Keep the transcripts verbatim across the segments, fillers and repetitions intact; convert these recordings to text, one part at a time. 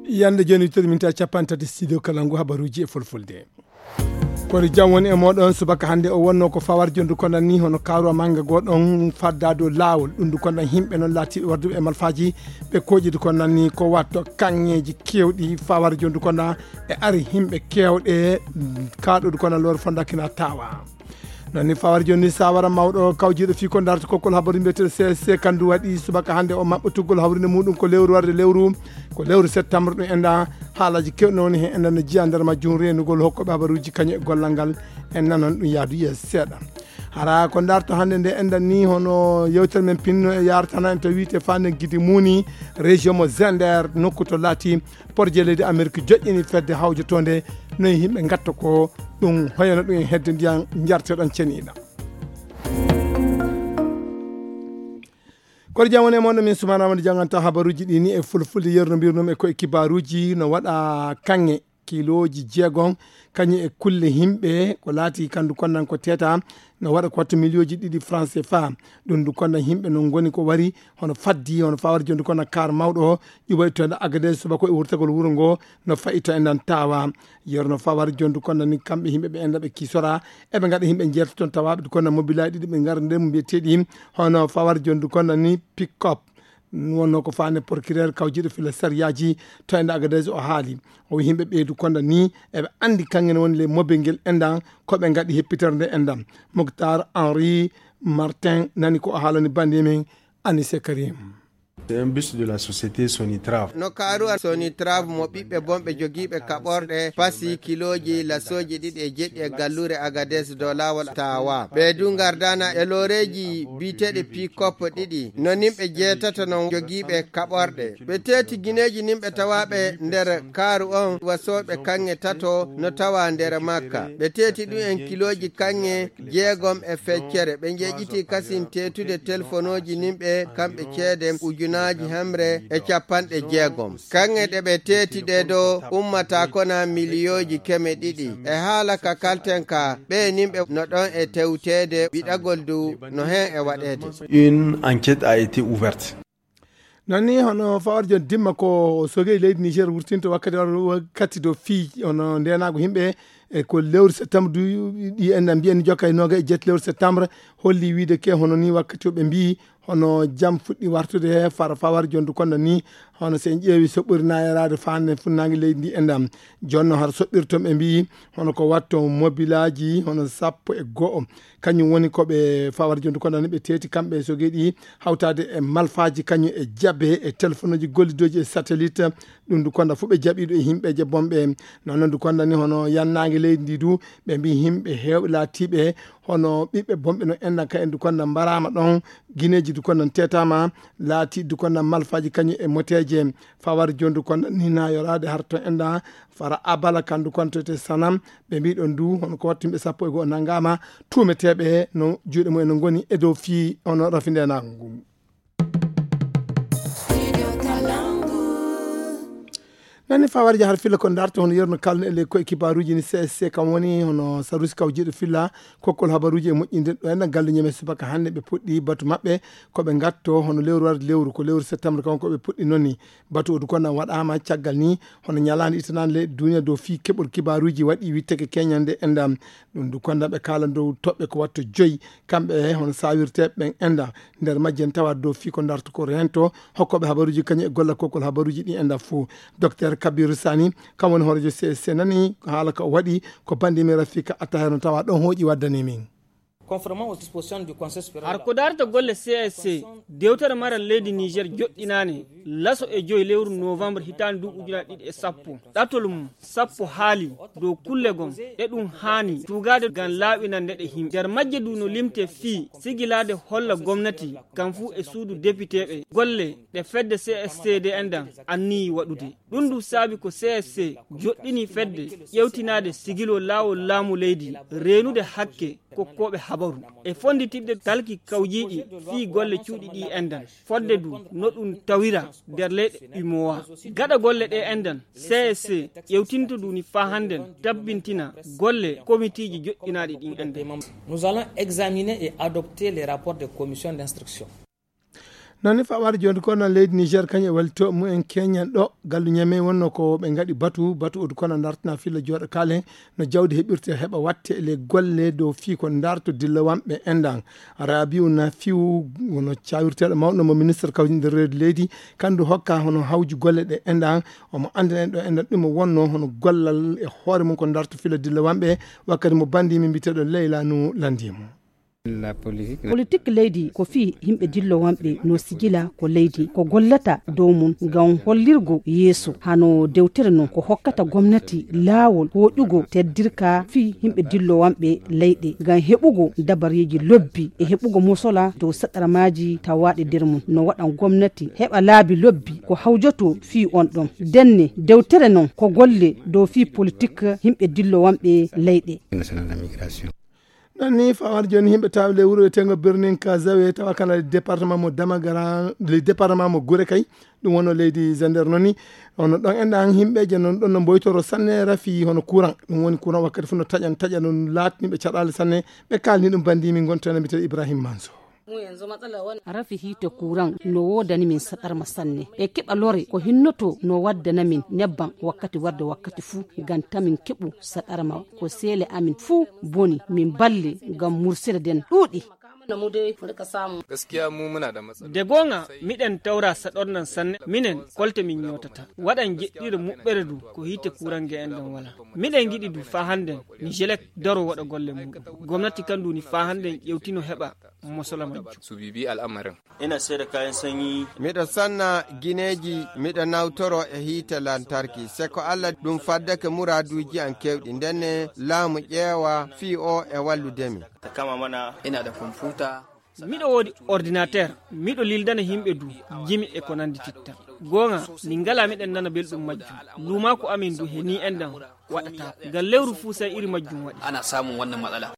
Yande joni, tiri minti capanɗe tati studio kala ngu habaruji e fulfulde. Kono jam woni e moɗon. Subaka hannde o wonno ko fawar jondu kono ni hono karuwa manga goɗon fadda dow laawol. Ɗum ndu kono himɓe noon laatiiɓe warduɓe e malfaaji, ɓe koƴidu kono ni ko watto kaŋŋeeji kewɗi fawar jondu kono e ari himɓe kewɗe kaɗodu kono lor fonda kina tawa. Noon ni fawar joni sawara mawɗo kawjiɗo fii ko darta kokkol habaru mbiyeteɗo C S C kandu waɗi subaka hannde o maɓɓa tuggol hawrinde muɗum ko lewru warde lewru, ko lewru septembre ɗum enda haalaji kewɗi no woni heen enda no jiya nder majjum renugol hokkoɓe habaruji kañum e gollal ngal. En nanan ɗum yaadu yeeso seeɗa. Hara ko darta hannde nde enda ni hono yewtere men pinno e yartana en to wiite fande gidi muni région mo Zender nokku to laati porje leydi Amerique joƴƴini fedde hawjotonde noye yimɓe gatta ko ɗum hoyano ɗum e hedde ndiyan jarteɗon ceniɗa. Kono jam woni e mon, min Soumana Amadou janganta habaruji ɗi ni e fulfulde yerno mbirnum e koye kibaruji no waɗa kanŋe kiloji jeegom kañum e kulle himɓe ko laati kandu konnan ko teta no waɗa ko wattu miliyonji ɗiɗi franc C F A. Ɗum ndu konnan himɓe no ngoni ko wari hono faddi hono fawar jondu kono kar mawɗo o ƴuɓay to enda agade subako e wurtagol wuro ngo no fayi to endan tawa. Yerno fawar jondu kono ni kamɓe himɓe ɓe enda ɓe kisora eɓe ngaɗa himɓe jerto ton tawaɓe kono mobilaji ɗiɗi ɓe ngar nder mbiyeteɗi hono fawar jondu kono ni pick up. Wonno ko fane procureur kawjiɗo fila sariyaji to enda agades o haali o wi himɓe ɓeydu kono ni eɓe andi kangen woni le mobe ngel endan koɓe ngaɗi heppitere nde endan. Moctar Henri Martin nani ko o haalani bande men. Anise Karim. C'est un bus de la société Sonitrav. No karuwa Sonitrav mo ɓiɓɓe bonɓe jogiiɓe kaɓorɗe pasi kiloji lasoji ɗiɗi e jeɗɗi e gallure Agades dow laawol tawa. Ɓe du ngardana e loreji biyeteɗi pikop ɗiɗi. No nimɓe jeetato no jogiiɓe kaɓorɗe. Ɓe teeti gineeji nimɓe tawaɓe nder kaaru on wasooɓe kaŋŋe tato no tawa nder makka. Ɓe teeti ɗum en kiloji kaŋŋe jeegom e feccere. Ɓe njeƴƴiti kasin teetude telefonooji nimɓe kamɓe ceede ujunaaji hemre e capanɗe jeegom. Kaŋŋe ɗe ɓe teeti ɗe do ummata kona miliyooji keme ɗiɗi. E haala ka kalten ka, ɓe nimɓe no ɗon e tewteede, wiɗagol du no hen e waɗeede. Une enquête a été ouverte. Noon ni hono fawar jon dimma ko sogey leydi Niger wurtinto wakkati wakkati do fii hono ndenago himɓe e ko lewru septembre du ɗi en mbiyen jokka e noga e jet lewru septembre holli wiide ke hono ni wakkati o ɓe mbi hono jam fuɗɗi wartude he fara fawar jondu konda ni hono so en ƴeewi soɓɓori nayerade fande funnangue leydi ndi endam jonno har soɓɓirton ɓe mbi hono ko watto mobilaji hono sappo e go'o. Kañum woni ko ɓe fawar jondu konda ni ɓe teeti kamɓe e sogeɗi hawtade e malfaji kañum e jabe e telefonuji gollidoji e satellite. Ɗum du konda fof ɓe jaɓiɗo e yimɓeje bonɓe noon noon du konda ni hono yannangue leydi ndi du ɓe mbi yimɓe hewɓe laatiɓe hono ɓiɓɓe bonɓe no enɗan ka en du konda mbarama ɗon guineji du konda tetama laati du konda malfaji kañum e moteje. Fawar jondu konda ni na yorade har to enɗan fara abala kandu kontote sanam. Ɓe mbiɗon du hono ko wattu yimɓe sappo e go'o nanngama tuumeteeɓe no juuɗe mumen no ngoni e dow fii hono rafindenaango ngu. Nani fawar jahar filla ko darto hono yerno kalno e ley koye kibaruji ni C S C kam woni hono sarusi kaw jiiɗo filla kokkol habaruji e moƴƴinde ɗo en galle ñeme subaka hannde ɓe puɗɗi batu maɓɓe ko ɓe ngatto hono lewru warde lewru ko lewru septembre kam ko ɓe puɗɗi noon ni. Batu o du konda waɗama caggal ni hono ñalande itanande leyɗe duniya dow fii keɓol kibaruji waɗi witteke keñande endam. Ɗum du konda ɓe kala dow toɓɓe ko watto joyi kamɓe e hono sawirteɓe ɓen enda nder majji en tawa dow fii ko darto ko rento hokkoɓe habaruji kañum e golla kokkol habaruji ɗi enda fo. Docteur Kabiru Sani kam woni hoorejo C S C nani haala ka o waɗi ko bandi min Rafika Attahir no tawa ɗon hooƴi waddani min. Har ko darta golle C S C dewtere maral leydi Niger joɗɗinane laso e joyi lewru novembre hitande duuɓi ujunaaji ɗiɗi e sappo ɗatol mum sappo haali dow kulle gon ɗe ɗum haani tugade ngam laaɓinande ɗe himɓe nder majje du no limte fii sigilade holla gomnati kam fuu e suudu depiteɓe golle ɗe fedde C S C de endan anniyi waɗude. Ɗum du saabi ko C S C joɗɗini fedde ƴewtinade sigilo laawol laamu leydi reenude hakke kokkooɓe habaru e fonnditidde talki kawjiiɗi fii golle cuuɗi ɗi enɗan. Fodde du no ɗum tawira nder leyɗe umowa. Gaɗa golle ɗe enɗan, C S C ƴewtinto du ni faa hannden tabbintina golle komitiiji joɗɗinaaɗi ɗin enɗan. Nous allons examiner et adopter les rapports des commissions d'instruction. Noon ni fawaade jooni ko no leydi Niger kañum e wallitooɓe mumen keñan ɗo gallu ñame wonno ko ɓe ngaɗi batu, batu odu kono dartana filla jooɗo kaale no jawdi heɓirte heɓa watte e le golle dow fii ko darto dilla wamɓe enɗan. Rabiu na fiw wono cawirteeɗo mawɗo mo ministre kawji nder reedu leydi, kandu hokka hono hawji golle ɗe enɗan, omo anndina en ɗo enɗan ɗum o wonno hono gollal e hoore mum ko darto filla dilla wamɓe, wakkati mo bandi min mbiteɗo Leyla no landimo. Politik leydi ko fii yimɓe dillowanɓe no sigila ko leydi ko gollata dow mum ngam hollirgo yeeso hano dewtere non ko hokkata gomnati laawol hoƴugo teddirka fii yimɓe dillowanɓe leyɗe ngam heɓugo dabareeji lobbi e heɓugo mosola dow saɗarmaaji tawaaɗe nder mum no waɗan gomnati heɓa laabi lobbi ko hawjoto fii on ɗon denne dewtere non ko golle dow fii politik yimɓe dillowanɓe leyɗe. Ɗon ni fawar jooni yimɓe tawi ley wuro e tengo birnin kazawe tawa kana département mo damagara le département mo gure kay. Ɗum wono leydi zander noon ni ono ɗon enɗan yimɓeje noon ɗon no mboytoro sanne rafi hono courant ɗum woni courant wakkati fof no taƴan taƴa noon laatniɓe caɗale sanne. Ɓe kalni ɗum bandimi gontana mbite ibrahim manso. Rafi hiite kuran no woodani min saɗarma sanne e keɓa lore ko hinnoto no waddana min nebban wakkati warde wakkati fuu ngam tamin keɓu saɗarma ko seele amin fuu boni min balle ngam mursere nden ɗuuɗi. De goonga miɗen tawra saɗornan sanne minen kolte min ñootata waɗan jeɗɗire muɓɓere du ko hiite kuran ge en ɗon wala. Miɗen ngiɗi du faa hannden nijelek daro waɗa golle muɗum gomnati kan duni faa hannden ƴewtino heɓa mosola majjum. Subibi al'amarin. Ina sai da kayan sanyi. Miɗo sanna gineeji miɗo nawtoro e hiite lantarki se ko allah ɗum faddake muraaduuji an kewɗi ndenne laamu ƴeewa fii o e walludemi. Ta kama mana ina da kwamfuta. Miɗo woodi ordinateur miɗo lildana yimɓe du jimi e ko nandi titta. Goonga min ngala miɗen nana belɗum majjum luumaaku amin du he ni enɗan waɗata ngal lewru fuu sai iri majjum waɗi. Ana samun wannan matsala.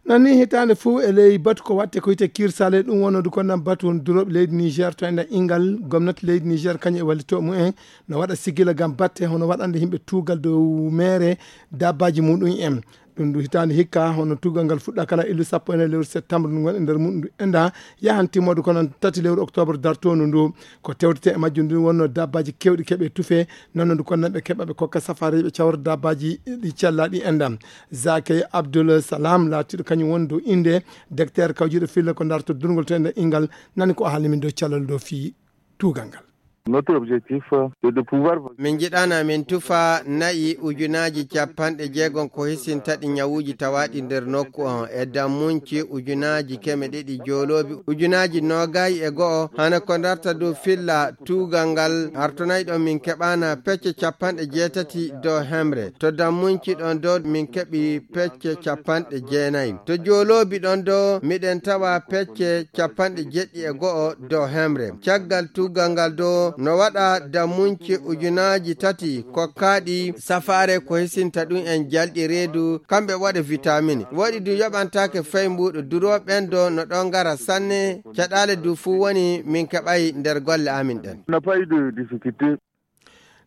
Nanni hitaande fof e ley batu ko waɗte ko wiyte kirsale ɗum wonode ko nan batu on durooɓe leydi niger to enen inngal gomnati leydi niger kañum e wallitooɓe mumen no waɗa sigila ngam batte hono waɗande yimɓe tuugal dow meere dabbaaji muɗum en. Ɗum ndu hitaande hikka hono tuugal ngal fuɗɗa kala illu sappo e nayi lewru septembre ndu ngon e nder muɗum ndu enda yahan timmoode ko nan tati lewru octobre dartoondu ndu. Ko tewtete e majjum ndu wonno dabbaaji kewɗi keɓe tufe nonno ndu konnan ɓe keɓa ɓe kokka safareeɓe cawra dabbaaji ɗi cellaaɗi endam. Zake Abdul Salam laatiiɗo kañum woni dow innde, dekteer kawjiiɗo filla ko darto durngol to ender inngal nani ko o haalni min dow cellal dow fii tuugal ngal. Notre objectif, c'est de pouvoir. Min njiɗana min tufa na'i ujunaaji capanɗe jeegom ko hisintaɗi ñawuuji tawaaɗi nder nokku on e dammunci ujunaaji keme ɗiɗi jooloobi ujunaaji noogay e go'o hana ko darta dow filla tuugal ngal hartonayɗo min keɓana pecce capanɗe jeetati dow hemre to dammunci ɗon dow min keɓi pecce capanɗe jeenayi to jooloobi ɗon dow miɗen tawa pecce capanɗe jeɗɗi e go'o dow hemre. Caggal tuugal ngal dow no waɗa dammunci ujunaaji tati kokkaaɗi safaare ko hisinta ɗum en jalɗi reedu kamɓe waɗa vitamine waɗi du yoɓantaake fay mbuuɗo durooɓe ɓen dow no ɗon ngara sanne. Caɗaale du fuu woni min keɓay nder golle amin ɗen.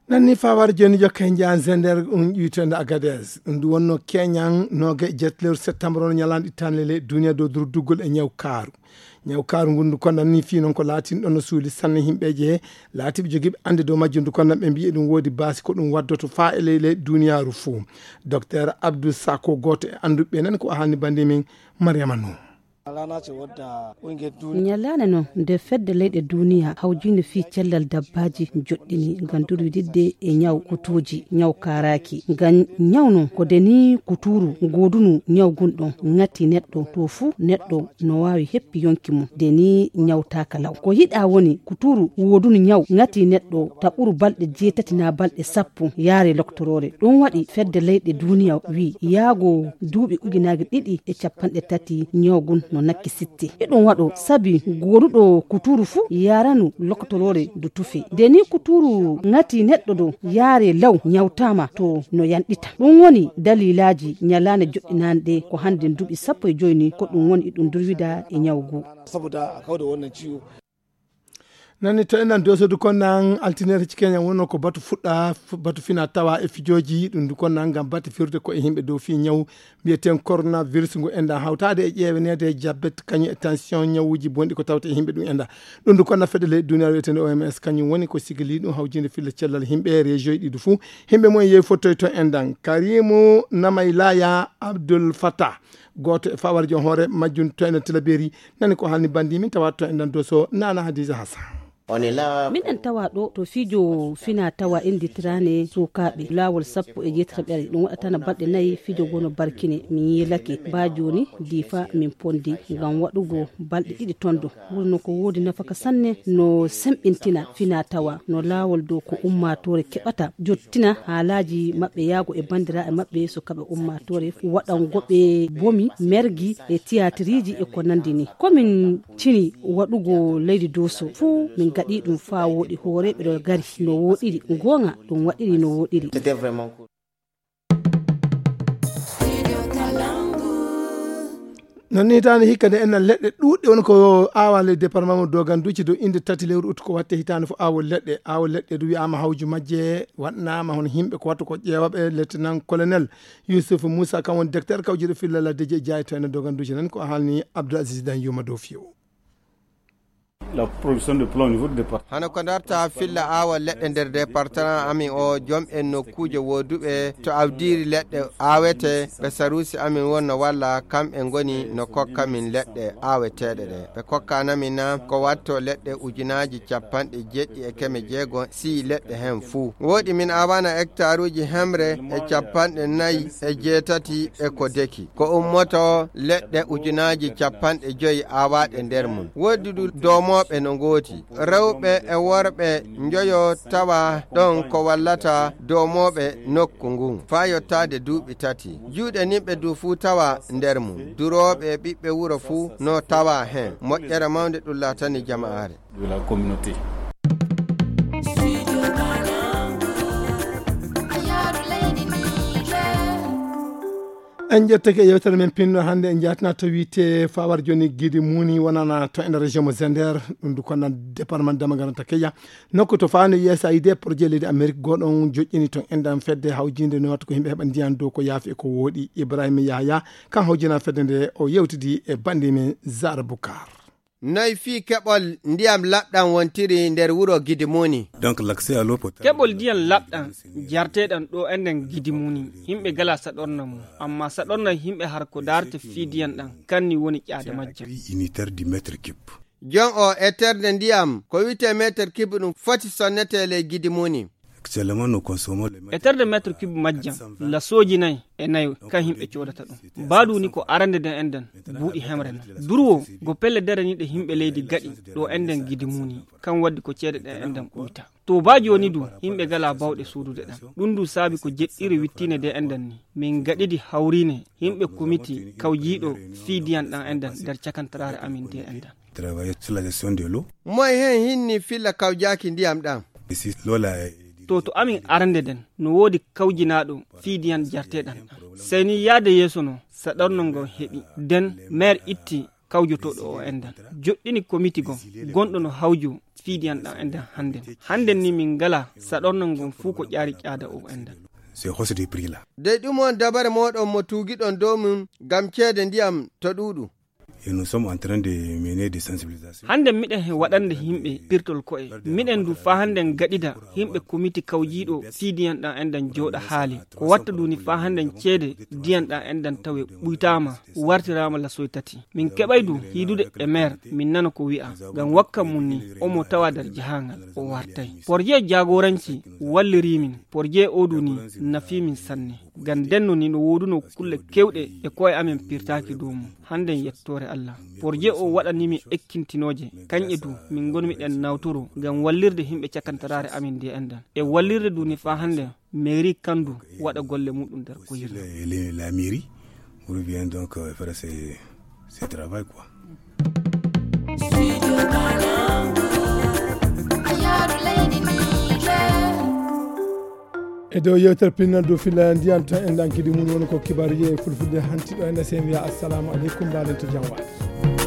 Nanni fawar joni jokke nja zender ɗum ƴuytende agades ɗum ndu wonno keñan noge jetlewru septembre on ñalanɗe tanlele duniya dow durduggol e ñaw kaaru. Ñaw kaaru ngun ndu konnan ni fii noon ko laatin ɗon no suuli sanne yimɓeeje laatiɓe jogiiɓe annde dow majjum ndu konnan ɓe mbiyi ɗum woodi baasi ko ɗum waddoto faa e ley ley duniyaaru fuu. Docteur Abdou Sako gooto e annduɓe ɓe nan ko o haalni bannde min. Mariama Nuh. Ñalaande noon nde fedde leyɗe duuniya hawjiinde fii cellal dabbaaji joɗɗini ngam durwididde e ñaw kutuuji ñaw kaaraaki ngam ñaw noon ko denii kutuuru ngoodunu ñaw gun ɗon ŋati neɗɗo to fuu neɗɗo no waawi heppi yonki mum denii ñawtaaka law ko yiɗaa woni kutuuru woodunu ñaw ŋati neɗɗo ta ɓuru balɗe jeetati naa balɗe sappo yaare loktoroore ɗum waɗi fedde leyɗe duuniya wii yaago duuɓi ujunaaji ɗiɗi e capanɗe tati ñaw gun. no nakki sitte. Eɗum waɗo sabi gonuɗo kuturu fuu yaranu lokotoroore du tufe. Nde ni kuturu ŋati neɗɗo do yaare law nyawtama to no yanɗita. Ɗum woni dalilaji nyalane joɗɗinande ko hande duuɓi sappo e joyi ni ko ɗum woni eɗum durwida e nyawgu. Saboda a kauda wannan ciwo. Nani to enen dosodu kon nan altinere ci kenya wonno ko batu fuɗɗa, batu fina tawa e fijoji ɗum du kon nan ngam batu firde ko e himɓe dow fi nyaw mbiyaten coronavirus ngu enɗan hawtaade e ƴeeweneede jabbet kañum e tension ñawuuji bonɗi ko tawta e yimɓe ɗum enɗan. Ɗum du konna fedde leyɗe duniyaaru wiyetende oms kañum woni ko sigili ɗum hawjinde filla cellal yimɓe e région ji ɗiɗi fuu. Yimɓe mum e yeewi fottoy to enɗan karimu namaylaya abdul fatah, gooto e fawarjo hoore majjum to enɗan tilaberi, nani ko halni bandi min tawa to enɗan doso nana hadisa hasan. Miɗen tawa ɗo to fijo fina tawa innditirane sukaaɓe laawol sappo e jeetati ɓere ɗum waɗatana balɗe nayi fijo gono barkine min yiilake ba jooni difa min pondi ngam waɗugo balɗe ɗiɗi tondo. Wuro no ko woodi nafaka sanne no semɓintina fina tawa no laawol dow ko ummaatoore keɓata jottina haalaaji maɓɓe yaago e banndiraaɓe maɓɓe sukaaɓe ummaatoore waɗango ɓe bomi mergi e tiyaatiriiji e ko nanndi ni. Komin cini waɗugo leydi doso fuu min gaɗi ɗum faa wooɗi hooreeɓe ɗo gari no wooɗiri. Goonga ɗum waɗiri no wooɗiri. Non ni hitaande hikka nde enna leɗɗe ɗuuɗɗe woni ko aawa ley département mo doganduji dow innde tati lewru utu ko watte hitaande fof aawo leɗɗe aawo leɗɗe du wiyaama hawju majje waɗnaama hono yimɓe ko wattu ko ƴeewaɓe lieutenant colonel yusuf moussa kam woni docteur kawjuɗo filla laddeji e jaayi to ene doganduji nan ko haalni abdoul aziz dan yuma dow fiyo. Hano ko darta filla aawa leɗɗe nder département amin o jom en nokkuuje wooduɓe to awdiiri leɗɗe aawete ɓe saruusi amin wonno walla kamɓe ngoni no kokka min leɗɗe aaweteeɗe ɗe ɓe kokkanamin na ko watto leɗɗe ujunaaji capanɗe jeɗɗi e keme jeego sii leɗɗe heen fuu wooɗi min aawana hectaruuji hemre e capanɗe nayi e jeetati e ko deki ko ummoto leɗɗe ujunaaji capanɗe joyi aawaaɗe nder mum woodi du doomooɓe no ngooti rewɓe e worɓe njoyo tawa ɗon ko wallata doomooɓe nokku ngun faa yottaade duuɓi tati juuɗe nimɓe du fuu tawa nder mum durooɓe e ɓiɓɓe wuro fuu no tawa heen moƴƴere mawnde ɗum laatani jama'aare. En ƴettake e yewtere men pinno hannde en jaatina to wiyte fawar joni gidi muni wonana to ender région mo zender ɗum du konna département damagaranta keya nokku to fawande usaid projet leydi amérique goɗon joƴƴini ton enɗan fedde hawjinde no watta ko yimɓe heɓa ndiyan dow ko yaafi e ko wooɗi ibrahima yahaya kan hawjina fedde nde o yewtidi e bandi men zara boukar. Noy fii keɓol ndiyam laɓɗam wontiri nder wuro Gidimuni? Donc, l'accès à l'eau potable. Keɓol ndiyam laɓɗam jarteɗam ɗo enɗen Gidimuni, yimɓe gala saɗorna mum, amma saɗorna yimɓe har ko daarta fii ndiyam ɗam, kanni woni ƴaada majjam. Unitaire du mètre cube. Jon o eterde ndiyam, ko wiyte mètre cube ɗum foti sonnete ley Gidimuni. Actuellement, nous consommons les mètres. Eterde mètre cube majjam la soji nayi e nayo kan himɓe codata ɗum. Baadu ni ko arande nden enɗen buuɗi hemre non. Durwo go pelle dere ni ɗe himɓe leydi gaɗi ɗo enɗen Gidimuni kan waddi ko ceede ɗen enɗen ɓuyta. To ba joni du yimɓe gala bawɗe suudude ɗan. Ɗum du saabi ko jeɗɗire wittine de enɗen ni. Min gaɗidi hawrine yimɓe komiti kawjiiɗo fii diyan ɗan enɗen nder cakantaraare amin de enɗen. Travailleur sur la gestion de l'eau. Moy hen hinni filla kawjaaki ndiyam ɗam? Ici, l'eau là est. To to amin arande den no woodi kawjinaaɗo fii diyan jarteɗan ɗan. Sey ni yaade yeeso no saɗorno ngon heɓi. Den maire itti kawjotoɗo o enɗan. Joɗɗini komiti gon gonɗo no hawjo fii diyan ɗan enɗan hande. Hande ni min ngala saɗorno ngon fuu ko ƴaari ƴaada o enɗan. C'est hausse du prix là. Dey ɗum on dabare moɗon mo tuugiɗon dow mum ngam ceede ndiyam to ɗuuɗu. Et nous sommes en train de mener des sensibilisations. Hande miɗen he waɗande yimɓe pirtol ko'e. Miɗen du faa hande gaɗida yimɓe komiti kawjiiɗo fii diyan ɗan enɗan jooɗa haali. Ko watta duni faa hande ceede diyan ɗan enɗan tawe ɓuytaama, wartiraama lasoy tati. Min keɓay du hiidude e maire, min nana ko wi'a. Ngam wakka mum ni, omo tawa nder jahangal, o wartay. Porje jaagoranci walliri min. Porje o du ni nafi min sanne. Ngam denno ni no wooduno kulle kewɗe e ko'e amen pirtaaki dow mum. Hannden yettoore Allah. Porje o waɗani min ekkintinooje. Kanƴe du min ngonmi ɗen nawtoro ngam wallirde himɓe cakantaraare amin nde enɗan. E wallirde du ni faa hannden mairie kan du waɗa golle muɗum nder ko yirno. La mairie revient donc euh, faire ses C'est travail quoi. E dow yewtere pinnal dow filla ndiyan to en ɗankidi mum woni ko kibaruji e fulfulde hanti ɗo en esen wiya assalamu aleykum mbaɗen to jam waɗi.